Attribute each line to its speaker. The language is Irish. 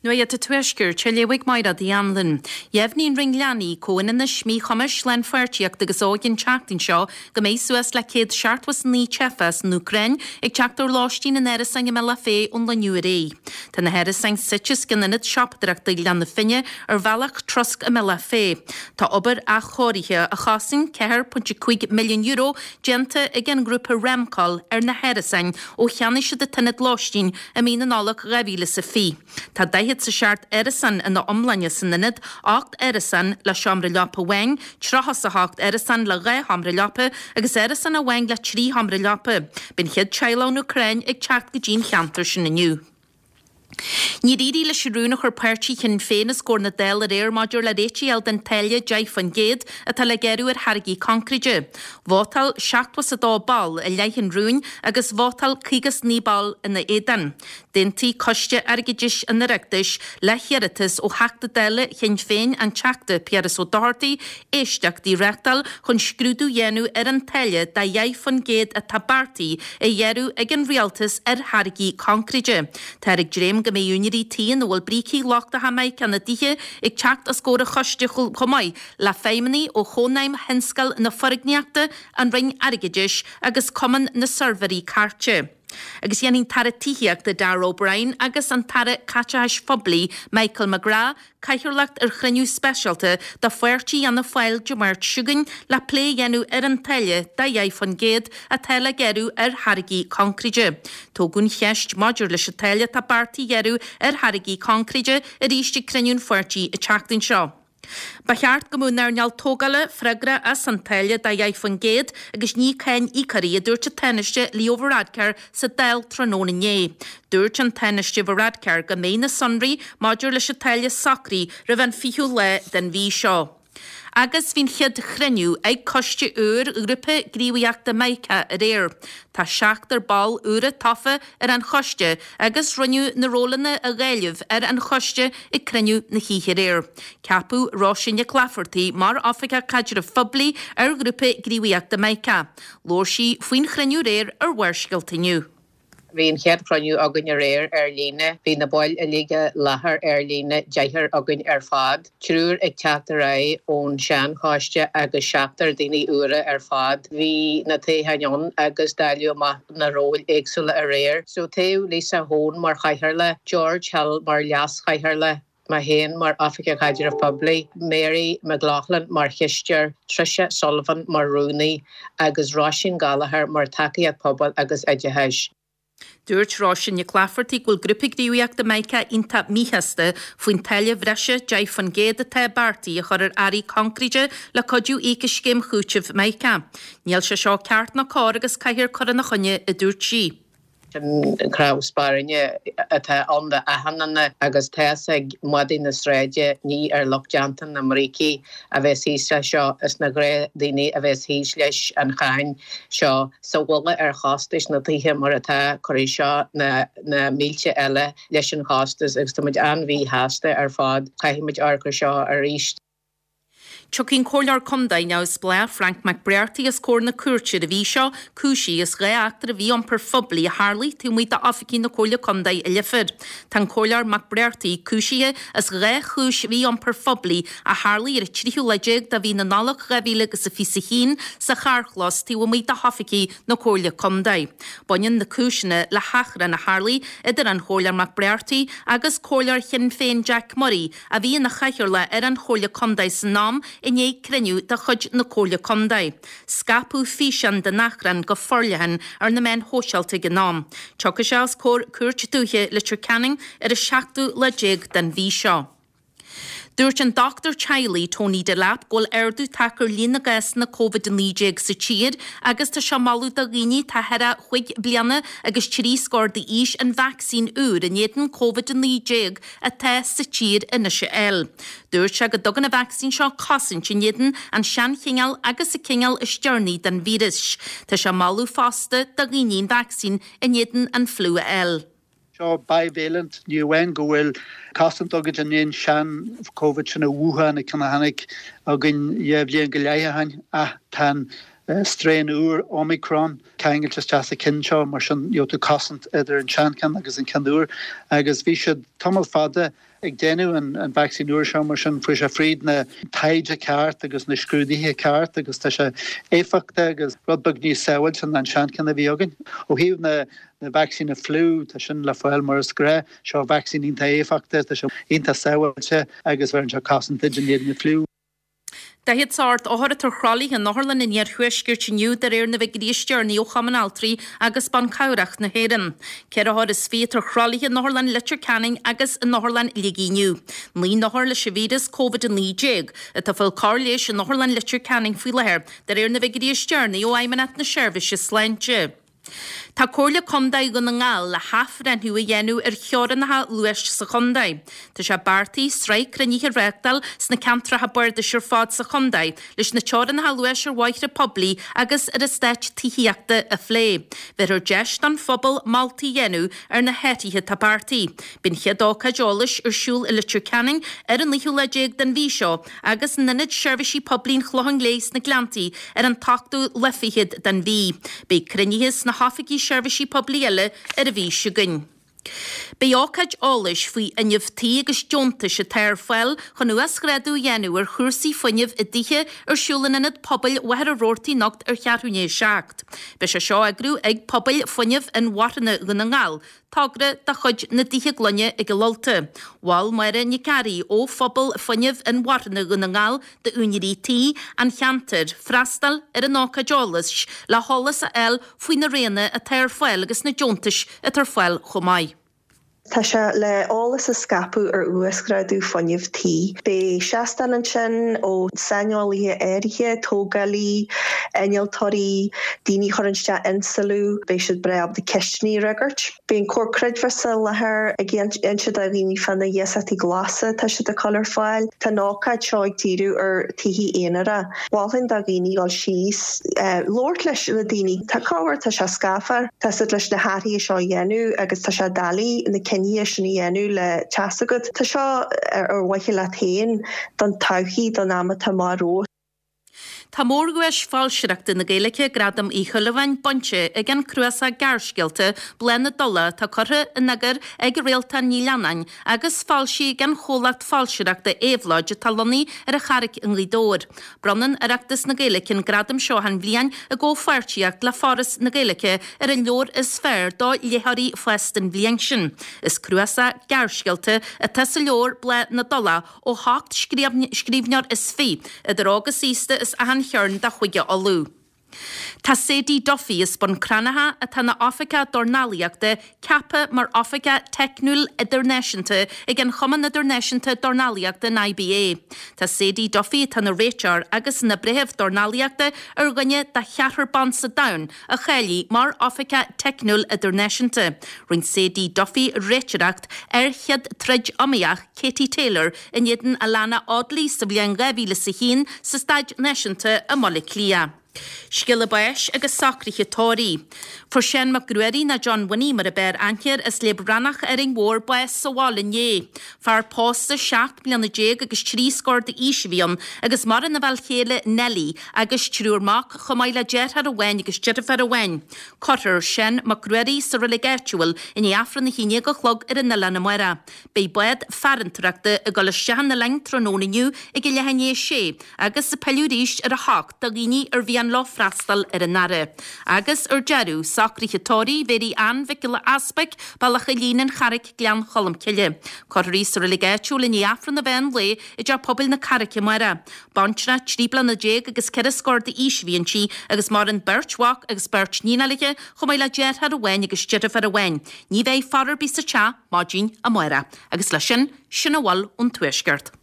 Speaker 1: Nuacht an Tuaiscirt, á léamh ag Mairéad Uí Anluain. Dheimhnigh an Roinn Leanaí, Comhionannais, Míchumais, Lánpháirtíochta agus Óige an tseachtain seo go mbeidh suas le 179 teifeach as an Úcráin ag teacht ar lóistín in árasáin i mBealach Féich ón lá inniu ar aghaidh. Tá na hárasáin suite os cionn ionad siopadóireachta Ghleann na Finne ar bhealach trosc i mBealach Féich. Tá obair athchóirithe a chosain €4.5 milliún déanta ag an ngrúpa Remcol ar na hárasáin ó cheannaigh siad an t-ionad lóistín i mí na Nollag 2020. Tá 47 árasán ina iomláine san ionad, 8 árasán le seomra leapa amháin, 38 árasán le 2 sheomra leapa agus árasán amháin le 3 sheomra leapa. Beidh an chéad teaghlach ón Úcráin ag teacht go dtí an cheantar sin inniu. Níor éirigh leis an rún a chuir páirtí Shinn Féin os comhair na Dála aréir maidir le réiteach a fháil den táille 10% atá le gearradh ar tháirgí concréide. Vótáil 72 ball i leith an rúin agus vótáil 59 ball ina éadan. D'aontaigh Coiste Airgeadais an Oireachtais le hiarratas ó Theachta Dála Shinn Féin, an Teachta Piaras Ó Dochartaigh, éisteachtaí a reáchtáil chun scrúdú a dhéanamh ar an táille de 10% atá beartaithe a ghearradh ag an Rialtas ar tháirgí concréide. Táthar ag dréim go mbeidh úinéirí tí ina bhfuil brící lochtacha mica ina dtithe ag teacht os comhair an choiste chomh maith le feidhmeannaigh ó Chónaidhm Thionscal na Foirgníochta, an Roinn Airgeadais agus Cumann na Suirbhéirí Cairte. Agus déanfaidh an tAire Tithíochta Darragh O'Brien agus an tAire Caiteachais Phoiblí Michael McGrath cathaoirleacht ar chruinniú speisialta de pháirtí Fhianna Fáil Dé Máirt seo chugainn le plé a dhéanamh ar an táille de 10% atá le gearradh ar tháirgí coincréide. Tógadh an cheist maidir leis an táille atá beartaithe a ghearradh ar tháirgí coincréide arís ag cruinniú an pháirtí an tseachtain seo. Ba cheart go mbeadh an earnáil tógála freagrach as an táille de 10% agus ní cáin íocóirí, a dúirt an Tánaiste Leo Varadkar sa Dáil tráthnóna inné. Dúirt an Tánaiste Varadkar go mbeidh na sonraí maidir leis an táille socraithe roimh an 20ú lá den mhí seo. Agus bhí an chéad chruinniú ag coiste úr Ghrúpa Gníomhaíochta Mica aréir. Tá seachtar ball úra tofa ar an choiste agus rinneadh na rólanna a dháileamh ar an choiste ag cruinniú na hoíche aréir. Ceapadh Róise Nic Laifeartaigh mar Oifigeach Caidrimh Phoiblí ar Ghrúpa Gníomhaíochta Mica. Labhair sí faoin chruinniú aréir ar Bharrscéalta inniu.
Speaker 2: Bhí an chéad chruinniú againn aréir ar líne. Bhí na baill uilig i láthair ar líne, deichniúr againn ar fad. Triúr ag teacht ar aghaidh ón sean-choiste agus seachtar daoine úra ar fad. Bhí na toghcháin ann agus dáileadh amach na róil éagsúla aréir. So toghadh Lisa Hone mar chathaoirleach, George Hill mar leas-chathaoirleach, mé féin mar Oifigeach Caidrimh Poiblí, Mary McLaughlin mar chisteoir, Tricia Sullivan mar rúnaí agus Róisín Gallagher mar tacaíocht pobail agus oideachais.
Speaker 1: Dúirt Róisín Nic Laifeartaigh go bhfuil Grúpa Gníomhaíochta Mica iontach míshásta faoin táille bhreise 10% atá beartaithe a chur ar earraí coincréide le cuidiú íoc as scéim chúitimh Mica. Níl sé seo ceart ná cóir agus caithfear cur ina choinne, a dúirt sí.
Speaker 2: Sin cnámh spairne atá ann d'achan duine agus tá's ag madaí na sráide ní ar lucht déanta na mbrící a bheas thíos leis seo, is na gnáthdhaoine a bheas thíos leis an cháin seo. Sa mhullach ar chostais na tithe mar atá, cuirfidh seo na mílte eile leis an chostas agus tá muid an-mhíshásta ar fad. Caithfidh muid amharc ar seo arís.
Speaker 1: Tiocfaidh an Comhairleoir Contae neamhspleách Frank McBrearty os comhair na cúirte ar an mhí seo, cúisithe as 2 eachtra mhí-iompair phoiblí a tharlaigh taobh amuigh d'oifigí na Comhairle Contae i Leifear. Tá an Comhairleoir McBrearty cúisithe as 2 chúis mhí-iompair phoiblí a tharlaigh ar an tríú lá déag de mhí na Nollag 2021 sa charrchlós taobh amuigh de hoifigí na Comhairle Contae. Baineann na cúiseanna le hachrann a tharlaigh idir an Chomhairleoir McBrearty agus Comhairleoir Shinn Féin Jack Murray a bhí ina chathaoirleach ar an Chomhairle Contae san am i ndiaidh cruinniú de chuid na Comhairle Contae. Scaipeadh físeán den achrann go forleathan ar na meáin shóisialta ag an am. Tiocfaidh sé os comhair Cúirt Dúiche Leitir Ceanainn ar an seachtú lá déag den mhí seo. Dúirt an dochtúir teaghlaigh Tony Delap go bhfuil ardú tagtha ar líon na gcásanna Covid-19 sa tír agus tá sé ag moladh do dhaoine atá thar a chúig bliana agus trí scór d'aois an vacsaín úr in éadan Covid-19 atá sa tír anois a fháil. Dúirt sé go dtugann an vacsaín seo cosaint in éadan an seanchineál agus an cineál is deireanaí den víreas. Tá sé ag moladh fosta do dhaoine an vacsaín in éadan an fliú a fháil.
Speaker 3: Seo bivalent, ní amháin go bhfuil cosaint agat in éadan sean-Covid sin an Wuhan, an ceann a tháinig againn dhá bhliain go leith ó shin, ach tá an. strain úr, Omicron, ceangailte isteach sa cheann seo, mar sin gheobhaidh tú cosaint idir an seancheann agus an ceann úr. Agus bhí siad tamall fada ag déanamh an vacsaín úr seo, mar sin fuair sé fríd na taighde ceart agus na scrúduithe ceart agus tá sé éifeachtach agus rud beag níos sábháilte ná an seancheann a bhí againn. Ó thaobh na na vacsaíne fliú, tá sin le fáil mar is gnách. Seo vacsaín iontach éifeachtach, tá sé iontach sábháilte agus bheireann sé cosaint duit in éadan na fliú.
Speaker 1: 48 othar atá ar thralaithe in otharlann an iarthuaiscirt inniu de réir na bhfigiúirí is deireanaí ó Chumann Altraí agus Ban Cabhrach na hÉireann. 24 othar atá ar thralaithe in Otharlann Leitir Ceanainn agus in Otharlann Shligigh inniu. 9 n-othar leis an víreas Covid-19 atá ag fáil cóir leighis in Otharlann Leitir Ceanainn faoi láthair de réir na bhfigiúirí is deireanaí ó Fheidhmeannacht na Seirbhíse Sláinte. Tá Comhairle Contae Dhún na nGall le hathbhreithniú a dhéanamh ar theorainneacha luais sa chontae. Tá sé beartaithe sraith cruinnithe a reáchtáil sna ceantracha bardais ar fad sa chontae leis na teorainneacha luais ar bhóithre poiblí agus ar eastáit tithíochta a phlé. Bhéarfar deis don phobal moltaí a dhéanamh ar na hathruithe atá beartaithe. Beidh an chéad ócáid eolais ar siúl i Leitir Ceanainn ar an naoú lá déag den mhí seo agus in Ionad Seirbhísí Poiblí an Chlocháin Léith sna Gleanntaí ar an t-ochtú lá fichead den mhí. Beidh cruinnithe sna hoifigí seirbhísí poiblí eile ar an mhí seo chugainn. Beidh ócáid eolais faoi fhuinneamh tí agus deontais atá ar fáil chun uasghrádú a dhéanamh ar chúrsaí fuinnimh i dtithe ar siúl in Ionad Pobail Mhachaire Rabhartaigh anocht ar cheathrú i ndiaidh a 7. Beidh sé seo á eagrú ag Pobail Fuinnimh Inmharthana Dhún na nGall, Togra de chuid na dTithe Gloine ag an Ulta. Mhol Máire Nic Fhearraigh ó Phobal Fuinnimh Inmharthana Dhún na nGall d'úinéirí tí an cheantair freastal ar an ócáid eolais le heolas a fháil faoi na roghanna atá ar fáil agus na deontais atá ar fáil chomh maith.
Speaker 4: Tá sé le eolas a scaipeadh ar uasghrádú fuinnimh tí. Beidh seastán ansin ó saineolaithe áirithe, tógálaí, innealtóirí, daoine a chuireann isteach inslú, beidh siad breá ábalta ceisteanna a fhreagairt. Beidh an Comhar Creidmheasa i láthair ag inse do dhaoine fá na hiasachtaí glasa atá siad ag cur ar fáil. Tá an ócáid seo ag díriú ar tithe aonair. Mholfainn do dhaoine dul síos, labhairt leis na daoine. Tá cabhair, tá sé scafar, tá siad leis na hathruithe seo a dhéanamh agus tá sé doiligh na cinntí sin a dhéanamh le teas agat. Tá seo ar mhaithe leat féin, don todhchaí, don am atá amach romhat.
Speaker 1: Tá mórdhuais foilsitheoireachta na Gaeilge, Gradam Uí Shúilleabháin, bainte ag an cnuasach gearrscéalta Bláth na dTulach atá curtha in eagar ag Réaltán Ní Leannáin agus foilsithe ag an chomhlacht foilsitheoireachta Éabhlóid atá lonnaithe ar an Charraic i nGaoth Dobhair. Bronnann Oireachtas na Gaeilge an gradam seo achan bhliain i gcomhpháirtíocht le Foras na Gaeilge ar an leabhar is fearr do léitheoirí fásta an bhliain sin. Is cnuasach gearrscéalta atá sa leabhar Bláth na dTulach ó sheacht scríbhneoir is fiche, idir óg is aosta as achan chearn de Chúige Uladh. Tá Sadie Duffy as Bun Cranncha, atá ina Oifigeach Dornálaíochta, ceaptha mar Oifigeach Teicniúil Idirnáisiúnta ag an Chumann Idirnáisiúnta Dornálaíochta, an IBA. Tá Sadie Duffy, atá ina réiteoir agus ina breitheamh dornálaíochta, ar dhuine de cheathrar ban sa domhan a cháiligh mar Oifigeach Teicniúil Idirnáisiúnta. Rinne Sadie Duffy réiteoireacht ar chéad troid iomaíoch Katie Taylor in éadan Alana Audley sa bhliain 2001 sa Staid Náisiúnta i mBaile Átha Cliath. Scéala báis agus socruithe tórraimh. Fuair Seán Mac Ruairí nó John Winnie mar a b'fhearr aithne air as Léab Rannach Árainn Mhór bás sa bhaile inné. Fear pósta 17 mbliana agus 3 scór d'aois a bhí ann agus maireann a bhean chéile Nellie agus triúr mac chomh maith le deartháir amháin agus deirfiúr amháin. Cuirfear Seán Mac Ruairí sa reilig áitiúil i ndiaidh Aifreann a haon déag a chlog ar an oileán amárach. Beidh bád farantóireachta ag dul isteach an oileáin tráthnóna inniu ag a leath i ndiaidh a sé agus ag pilleadh arís ar a hocht do dhaoine ar mhian leo freastal ar an fhaire. Agus ar deireadh, socruithe tórraimh Mhéirí Ann Mhic Giolla Easpaig, Bealach Eilín, An Charraic, Gleann Cholm Cille. Cuirfear í sa reilig áitiúil i ndiaidh Aifreann an mheán lae i dTeach Pobail na Carraice amárach. Baintreach 13 bliana agus ceithre scór d'aois a bhí inti agus maireann beirt mhac agus beirt níon léi chomh maith le deartháir amháin agus deirfiúr amháin. Ní bheidh faire ar bith sa teach maidin amárach. Agus leis sin, sin a bhfuil ón Tuaisceart.